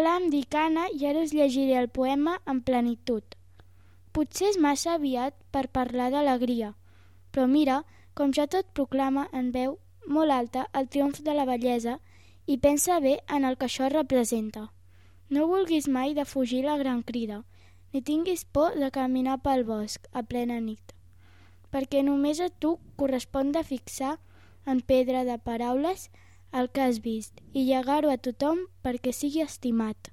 Hola, em dic Anna i ara us llegiré el poema en plenitud. Potser és massa aviat per parlar d'alegria, però mira com ja tot proclama en veu molt alta el triomf de la bellesa i pensa bé en el que això representa. No vulguis mai de fugir la gran crida, ni tinguis por de caminar pel bosc a plena nit, perquè només a tu correspon de fixar en pedra de paraules el que has vist i llegar-ho a tothom perquè sigui estimat.